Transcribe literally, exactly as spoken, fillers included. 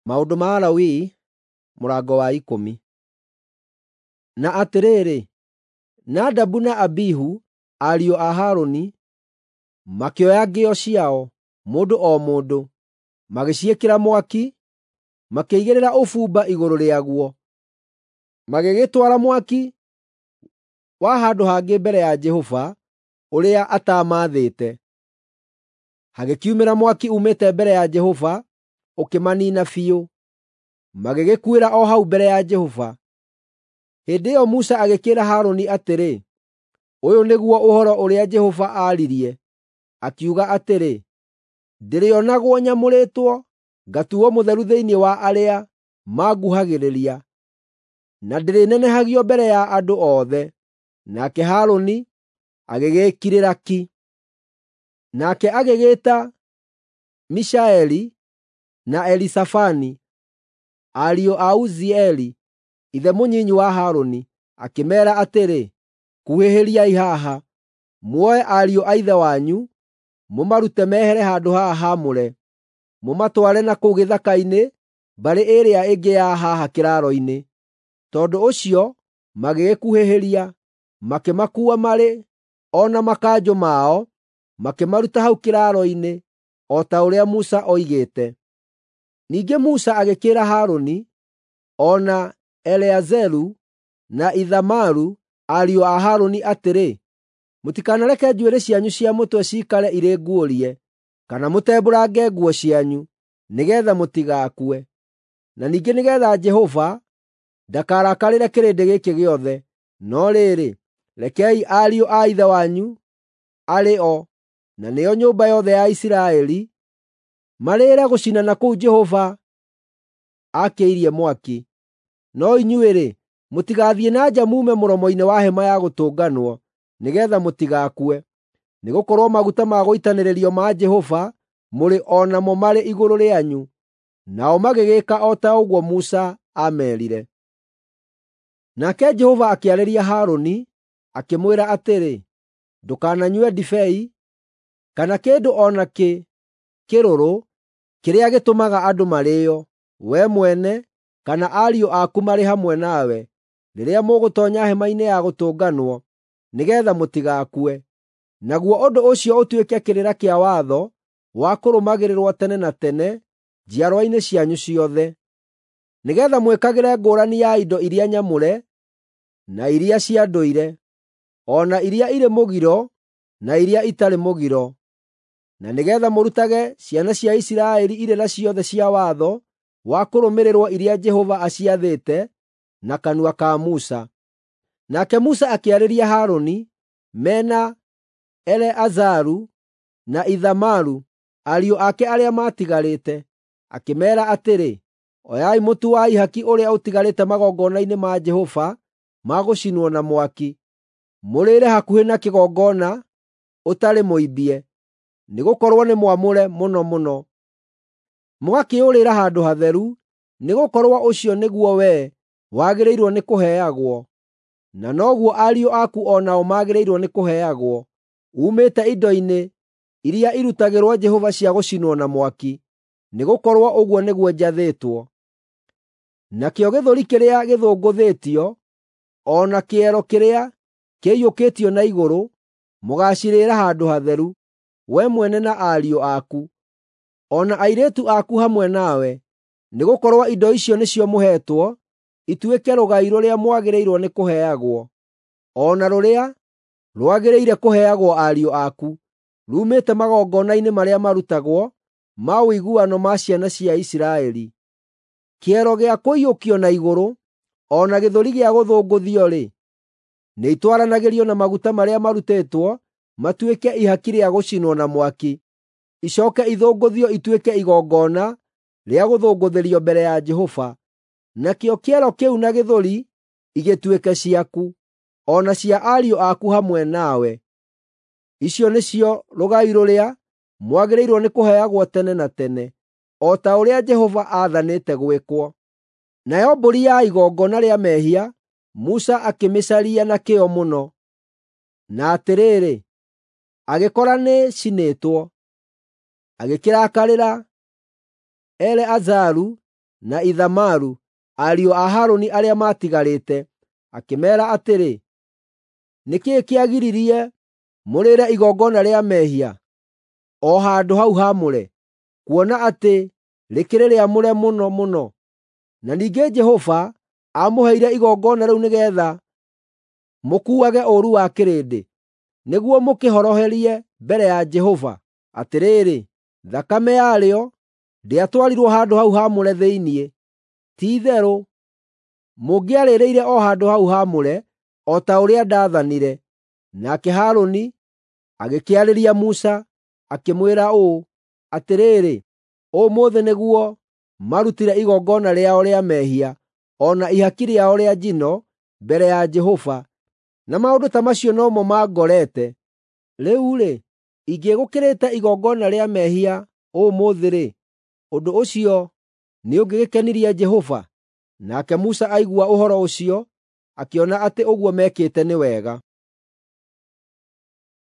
Maũndũ ma Alawii mũrango wa ikũmi. Na atĩrĩrĩ, Nadabu na Abihu, ariũ a Harũni, makĩoya ngĩo ciao, mũndũ o mũndũ, magĩciĩkĩra mwaki, makĩigĩrĩra ũbumba igũrũ rĩaguo, magĩgĩtwara mwaki wa handũ hangĩ mbere ya Jehova ũrĩa ataamaathĩte. Hagĩkiumĩra mwaki uumĩte mbere ya Jehova ũkĩmaniina biũ, magĩgĩkuĩra o hau mbere ya Jehova. Hĩndĩ ĩyo Musa agĩkĩĩra Harũni atĩrĩ, “Ũyũ nĩguo ũhoro ũrĩa Jehova aaririe, akiuga atĩrĩ, ‘Ndĩrĩonagwo nyamũrĩtwo, ngatuuo mũtheru thĩinĩ wa arĩa manguhagĩrĩria, na ndĩrĩnenehagio mbere ya andũ othe.’ ” Nake Harũni agĩgĩĩkirĩra ki. Nake agĩgĩĩta Mishaeli na Elizafani, ariũ a Uzieli, ithe mũnyinyi wa Harũni, akĩmeera atĩrĩ, “Kuhĩhĩriai haha, muoe ariũ a ithe wanyu, mũmarute mehere handũ haha haamũre, mũmatware na kũu gĩthaka-inĩ mbarĩ ĩrĩa ĩngĩ ya haha kĩraaro-inĩ.” Tondũ ũcio magĩgĩkuhĩhĩria, makĩmakuua marĩ o na makanjũ mao, makĩmaruta hau kĩraaro-inĩ, o ta ũrĩa Musa oigĩte. Ningĩ Musa agĩkĩĩra Harũni, o na Eleazaru na Ithamaru, ariũ a Harũni atĩrĩ, “Mũtikanareke njuĩrĩ cianyu cia mũtwe ciikare irĩ nguũrie, kana mũtembũrange nguo cianyu, nĩgeetha mũtigakue, na ningĩ nĩgeetha Jehova ndakarakarĩre kĩrĩndĩ gĩkĩ gĩothe. No rĩrĩ, rekei ariũ a ithe wanyu, arĩ o, na nĩo nyũmba yothe ya Isiraeli, marĩĩre gũcinana kũu Jehova aakĩirie mwaki. No inyuĩ-rĩ, mũtigathiĩ na nja muume mũromo-inĩ wa Hema-ya Gũtũnganwo, nĩgeetha mũtigakue, nĩgũkorwo maguta ma gũitanĩrĩrio ma Jehova mũrĩ o namo marĩ igũrũ rĩanyu.” Nao magĩgĩĩka o ta ũguo Musa aameerire. Nake Jehova akĩarĩria Harũni, akĩmwĩra atĩrĩ, “Ndũkananyue ndibei kana kĩndũ o nakĩ kĩrũrũ kĩrĩa gĩtũmaga andũ marĩĩo, wee mwene kana ariũ aku marĩ hamwe nawe, rĩrĩa mũgũtoonya Hema-inĩ ya Gũtũnganwo, nĩgeetha mũtigakue. Naguo ũndũ ũcio ũtuĩke kĩrĩra kĩa watho wa kũrũmagĩrĩrwo tene na tene njiarwa-inĩ cianyu ciothe, nĩgeetha mwĩkagĩre ngũũrani ya indo iria nyamũre na iria cia ndũire, o na iria irĩ mũgiro na iria itarĩ mũgiro, na nĩgeetha mũrutage ciana cia Isiraeli irĩra ciothe cia watho wa kũrũmĩrĩrwo iria Jehova aciathĩte na kanua ka Musa. Nake Musa akĩarĩria Harũni me na Eleazaru na Ithamaru, ariũ ake arĩa maatigarĩte, akĩmeera atĩrĩ, “Oyai mũtu wa ihaki ũrĩa ũtigarĩte magongona-inĩ ma Jehova ma gũcinwo na mwaki, mũrĩĩre hakuhĩ na kĩgongona ũtarĩ mũimbie, nĩgũkorwo nĩ mwamũre mũno mũno. Mũgakĩũrĩĩra handũ hatheru, nĩgũkorwo ũcio nĩguo wee wagĩrĩirwo nĩkũheagwo, na noguo ariũ aku o nao magĩrĩirwo nĩkũheagwo, uumĩte indo-inĩ iria irutagĩrwo Jehova cia gũcinwo na mwaki, nĩgũkorwo ũguo nĩguo njathĩtwo. Nakĩo gĩthũri kĩrĩa gĩthũngũthĩtio, o na kĩero kĩrĩa kĩiyũkĩtio na igũrũ, mũgaacirĩĩra handũ hatheru, wee mwene na ariũ aku, o na airĩtu aku hamwe nawe, nĩgũkorwo indo icio nĩcio mũheetwo ituĩke rũgai rũrĩa mwagĩrĩirwo nĩkũheagwo, o na rũrĩa rwagĩrĩire kũheagwo ariũ aku, ruumĩte magongona-inĩ marĩa marutagwo ma ũiguano ma ciana cia Isiraeli. Kĩero gĩa kũiyũkio na igũrũ, o na gĩthũri gĩa gũthũngũthio-rĩ, nĩitwaranagĩrio na maguta marĩa marutĩtwo matuĩke ihaki rĩa gũcinwo na mwaki, icooke ithũngũthio ituĩke igongona rĩa gũthũngũthĩrio mbere ya Jehova. Nakĩo kĩero kĩu na gĩthũri igĩtuĩke ciaku, o na cia ariũ aku hamwe nawe. Icio nĩcio rũgai rũrĩa mwagĩrĩirwo nĩkũheagwo tene na tene, o ta ũrĩa Jehova aathanĩte gwĩkwo.” Nayo mbũri ya igongona rĩa mehia Musa akĩmĩcaria na kĩyo mũno, na atĩrĩrĩ, agĩkora nĩĩcinĩtwo. Agĩkĩrakarĩra Eleazaru na Ithamaru, ariũ a Harũni arĩa maatigarĩte, akĩmeera atĩrĩ, “Nĩ kĩĩ kĩagiririe mũrĩĩre igongona rĩa mehia o handũ hau haamũre, kuona atĩ rĩkĩrĩ rĩamũre mũno mũno? Na ningĩ Jehova aamũheire igongona rĩu nĩgeetha mũkuuage ũũru wa kĩrĩndĩ, nĩguo mũkĩhoroherie mbere ya Jehova. Atĩrĩrĩ, thakame yarĩo ndĩatwarirwo handũ hau haamũre thĩinĩ. Ti-itherũ mũngĩarĩrĩire o handũ hau haamũre, o ta ũrĩa ndaathanire.” Nake Harũni agĩkĩarĩria Musa, akĩmwĩra ũũ, “Atĩrĩrĩ, ũmũthĩ nĩguo marutire igongona rĩao rĩa mehia o na ihaki rĩao rĩa njino mbere ya Jehova, na maũndũ ta macio no mo mangorete. Rĩu-rĩ, ingĩgũkĩrĩte igongona rĩa mehia ũmũthĩ-rĩ, ũndũ ũcio nĩũngĩgĩkenirie Jehova?” Nake Musa aigua ũhoro ũcio, akĩona atĩ ũguo meekĩte nĩ wega.